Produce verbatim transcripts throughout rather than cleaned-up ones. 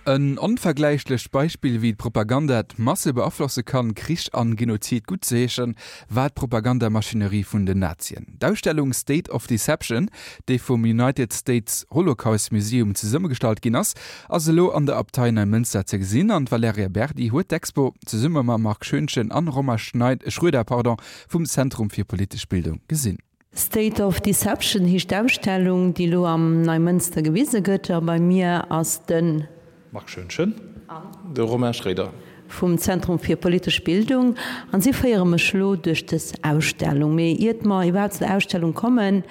En onvergläichlecht Beispill wéi d'Propaganda d'Masse beaflosse kann, Krich an Genozid guttzeheeschen, war d'Propagandamaschinerie vun den Nazien. D'Ausstellung State of Deception, déi vum United States Holocaust Museum zesummegestallt ginn ass, ass elo an der Abtei Neimënster ze gesinn an d'Valerija Berdi huet d'Expo zesumme mam Marc Schoentgen an Romain Schneid Schroeder pardon, vum Zentrum fir politesch Bildung gesinn. State of Deception heescht d'Ausstellung, déi elo am Neimënster gewise gëtt. A bei mir ass de. Marc Schoentgen. An. De Romain Schroeder. Vum Zentrum fir politesch Bildung. An si féiere mech elo duerch dës Ausstellung. Mee iert mer iwwerhaapt zu der Ausstellung kommen,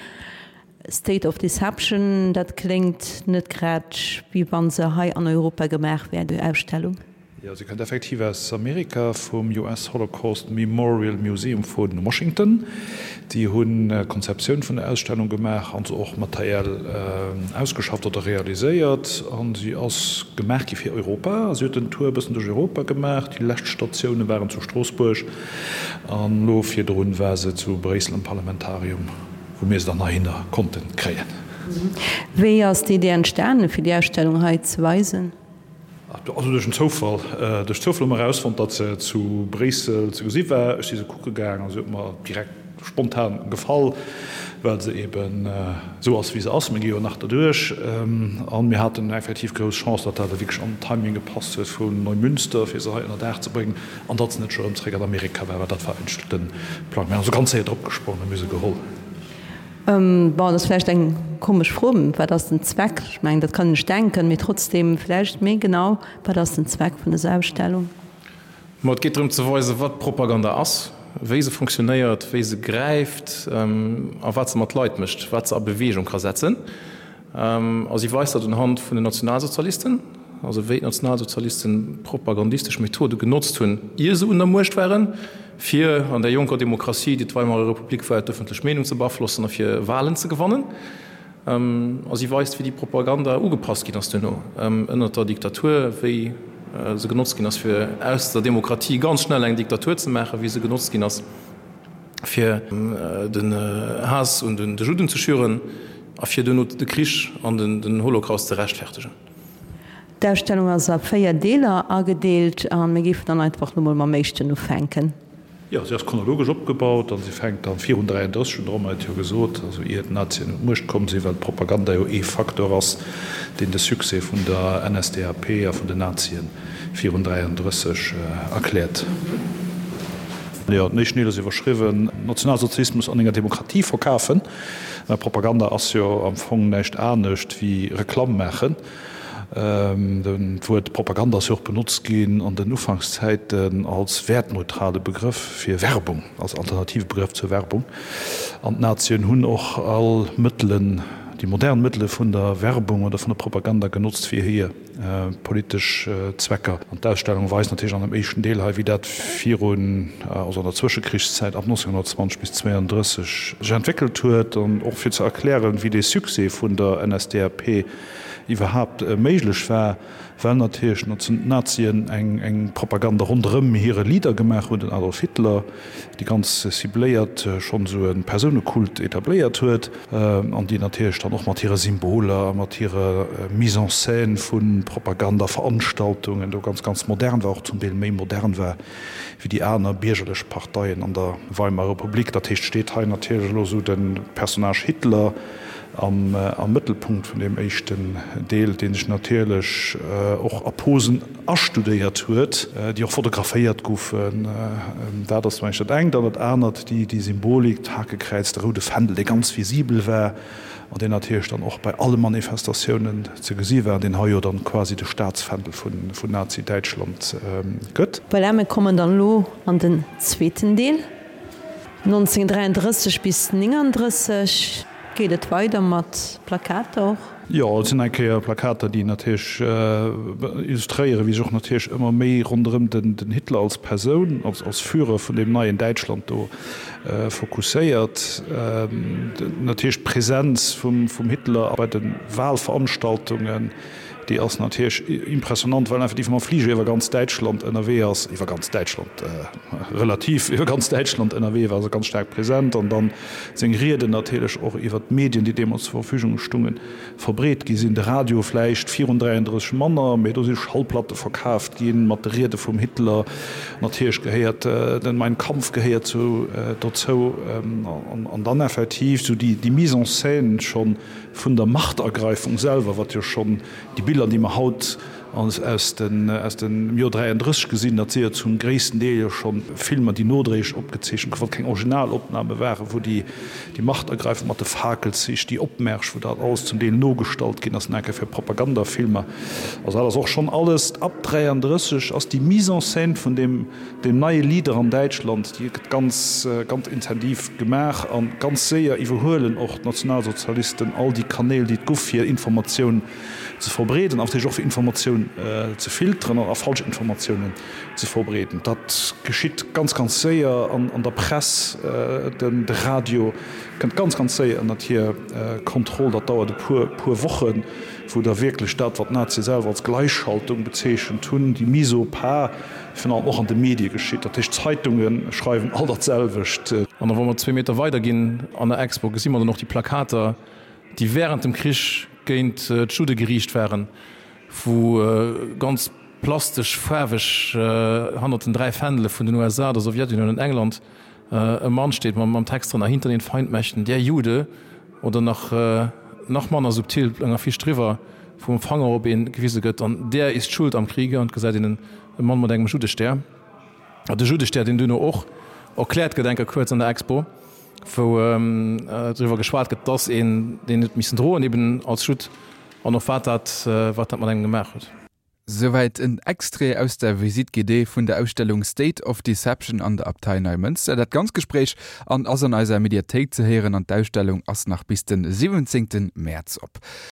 State of Deception, dat kléngt net grad, wéi wa se hei an Europa gemaach wär, déi Ausstellung. Jo, se kënnt effektiv aus Amerika, vum U S Holocaust Memorial Museum vu Washington. Déi hunn d'Konzeptioun vun der Ausstellung gemaach an se och materiell ausgeschafft oder realiséiert. A si ass gemaach gi fir Europa. Si huet den Tour e bëssen duerch Europa gemaach. Déi lescht Statioune waren zu Stroossbuerg an elo virdrun war se zu Bréissel am Parlamentarium, wou mir se dann heihinner konnte kréien. Wéi ass d'Idee entstanen, fir déi Ausstellung hei ze weisen? Also duerch en Zoufall. Duerch Zoufall hu mer erausfonnt, datt se zu Bréissel ze gesi war. Ech si se kucke gaang a se huet mer direkt spontan gefall, well se eben esou ass, wéi se ass. Mir gi jo nach derduerch. A mir haten effektiv grouss Chance, datt dat wierklech an den Timing gepasst huet vun Neumünster, fir se hei ënner Daach ze bréngen, an datt se net scho erëm zeréck an Amerika war, well dat war eigentlech de Plang. Mir hunn also ganz séier drop gesprongen a mir hu se geholl. Bon, dat ass vläicht eng komesch Fro, wat ass den Zweck? Ech mengen, dat kann een sech denken, mee trotzdem vläicht méi genau, wat ass den Zweck vun dëser Ausstellung? Ma et geet drëm ze weisen, wat Propaganda ass, wéi se funktionéiert, wéi se gräift a wat se mat Leit mécht, wat se a Beweegung ka setzen. A si weist dat unhand vun den Nationalsozialisten, also wéi d'Nationalsozialisten propagandistesch Methode genotzt hunn, ier se un der Muecht waren, fir an där jonker Demokratie, déi d'Weimarer Republik war, d'ëffentlech Meenung ze beaflossen a fir Walen ze gewannen. A si weist, wéi déi Propaganda ugepasst ginn ass duerno ënnert der Diktatur, wéi se genotzt ginn ass, fir aus der Demokratie ganz schnell eng Diktatur ze maachen, wéi se genotzt ginn ass, fir den Haass un de Judden ze schüren a fir duerno de Krich an den Holocaust ze rechtfertegen. D'Ausstellung ass a véier Deeler agedeelt a mir géifen dann einfach elo mol mam éischten ufänken. Jo, si ass chronologesch opgebaut a si fänkt dann virun dräianddrësseg un, de Romain huet jo gesot, also ier d'Nazien un d'Muecht komm sinn, well d'Propaganda jo ee Facteur ass, deen de Succès vun der N S D A P a vun den Nazien virun dräianddrësseg erkläert. Jo, den éischten Deel ass iwwerschriwwen, Nationalsozialismus an enger Demokratie verkafen. Propaganda ass jo am Fong näischt anescht wéi Reklamm maachen. D'Wuert Propaganda ass jo och benotzt ginn an den Ufankszäiten als wäertneutrale Begrëff fir Werbung, als alternative Begrëff zur Werbung. An d'Nazien hunn och all Mëttelen, déi modern Mëttele vun der Werbung oder vun der Propaganda genotzt fir hir politesch Zwecker. An d'Ausstellung weist natierlech an dem éischten Deel hei, wéi dat virun, also an der Zwëschekrichszäit ab nonzénghonnertzwanzeg bis zwéianddrësseg sech entwéckelt huet, an och fir ze erklären, wéi dee Succès vun der N S D A P iwwerhaapt méiglech war, well natierlech d'Nazien eng Propaganda ronderëm hire Leader gemaach hunn, den Adolf Hitler, déi ganz cibléiert schonn esou e Persounekult etabléiert huet, an déi natierlech dann och mat hire Symboler a mat hirer Mise en scène vu Propagandaveranstaltungen do ganz, ganz modern war, och zum Deel méi modern war wéi déi aner biergerlech Parteien an der Weimarer Republik. Dat heescht, steet hei natierlech elo esou de Personnage Hitler am Mëttelpunkt vun deem éischten Deel, dee sech natierlech och a Posen astudéiert huet, déi och fotograféiert goufen. Dat ass mengen ech dat engt. An dat anert, déi Symbolik, d'Hakekräiz, de roude Fändel, dee ganz visibel war an deen natierlech dann och bei alle Manifestatiounen ze gesi war, deen hei jo dann quasi de Staatsfändel vun Nazi-Däitschland gëtt. Voilà, mir kommen dann elo an den zweeten Deel. nonzénghonnertdräianddrësseg bis nénganddrësseg geet et weider mat Plakater och. Jo, et sinn eng Kéier Plakater, déi natierlech illustréieren, wéi sech och natierlech ëmmer méi ronderëm den Hitler als Persoun, als Führer vun deem neien Däitschland do fokusséiert. Natierlech d'Präsenz vum Hitler bei de Wahlveranstaltungen, déi ass natierlech impressionant, well en effektiv mam Fliger iwwer ganz Däitschland ënnerwee ass, iwwer ganz Däitschland, relativ iwwer ganz Däitschland ënnerwee war, also ganz staark present, an dann seng Rieden natierlech och iwwer d'Medien, déi deemools zur Verfügung stungen, verbreet. verbreet gi sinn. De Radio vläicht virun dräiandrësseg manner, mee do si Schallplatte verkaaft gi mat de Riede vum Hitler. Natierlech gehéiert den Mein Kampf gehéiert zu dozou. An dann effektiv esou déi Mise en scène scho vun der Machtergreifung selwer, wat jo schonn déi Biller, déi mer haut aus dem Joer dräiandrësseg gesinn, dat si jo zum gréissten Deel jo scho Filmer, déi nodréiglech opgezeechent goufen, wat keng Originalopname waren, wou déi Machtergreifung mat de Fakelzich, déi Opmärsch, wou dat alles zum Deel nogestallt ginn ass, nach eng Kéier fir Propagandafilmer. Also dat ass och schonn alles ab dräiandrësseg ass déi Mise en scène vun deem neie Leader an Däitschland, déi gëtt ganz, ganz intensiv gemaach a ganz séier iwwerhuelen och d'Nationalsozialisten all déi Kanäl, déi et guff, fir Informatioun ze verbreeden an natierlech och fir Informatioun ze filteren a falsch Informatiounen ze verbreeden. Dat geschitt ganz, ganz séier an der Press, de Radio kënnt ganz, ganz séier ënnert hir Kontroll. Dat dauert e puer, puer Wochen, wou da wierklech dat, wat d'Nazie selwer als Gleichschaltung bezeechent hunn, déi Mise au pas, virun allem och an de Medie geschitt. Dat heescht, d'Zeitunge schreiwen all dat selwecht. An da wa mer zwee Meter weider ginn an der Expo, gesi mer dann och déi Plakater, déi während dem Krich géint d'Judde geriicht waren, wou ganz plastesch, faarweg hannert den dräi Fändele vun den U S A, der Sowjetunioun an England e Mann steet mam Text drënner Hinter den Feindmächten der Jude oder nach nach manner subtil eng Affiche driwwer, wou mam Fanger op ee gewise gëtt an Der ist schuld am Kriege an et gesäit een e Mann mat engem Juddestär. De Juddestär, deen duerno och erkläert gëtt eng Kéier kuerz an der Expo, wou driwwer geschwat gëtt, dass een deen huet missen droen, eben als Judd, an och wat dat, wat dat mat engem gemaach huet. Souwäit en Extrait aus der Visite guidée vun der Ausstellung State of Deception an der Abtei Neimënster. Dat ganzt Gespréich an ass an eiser Mediathéik ze héieren an d'Ausstellung ass nach bis den siwwenzéngten Mäerz op.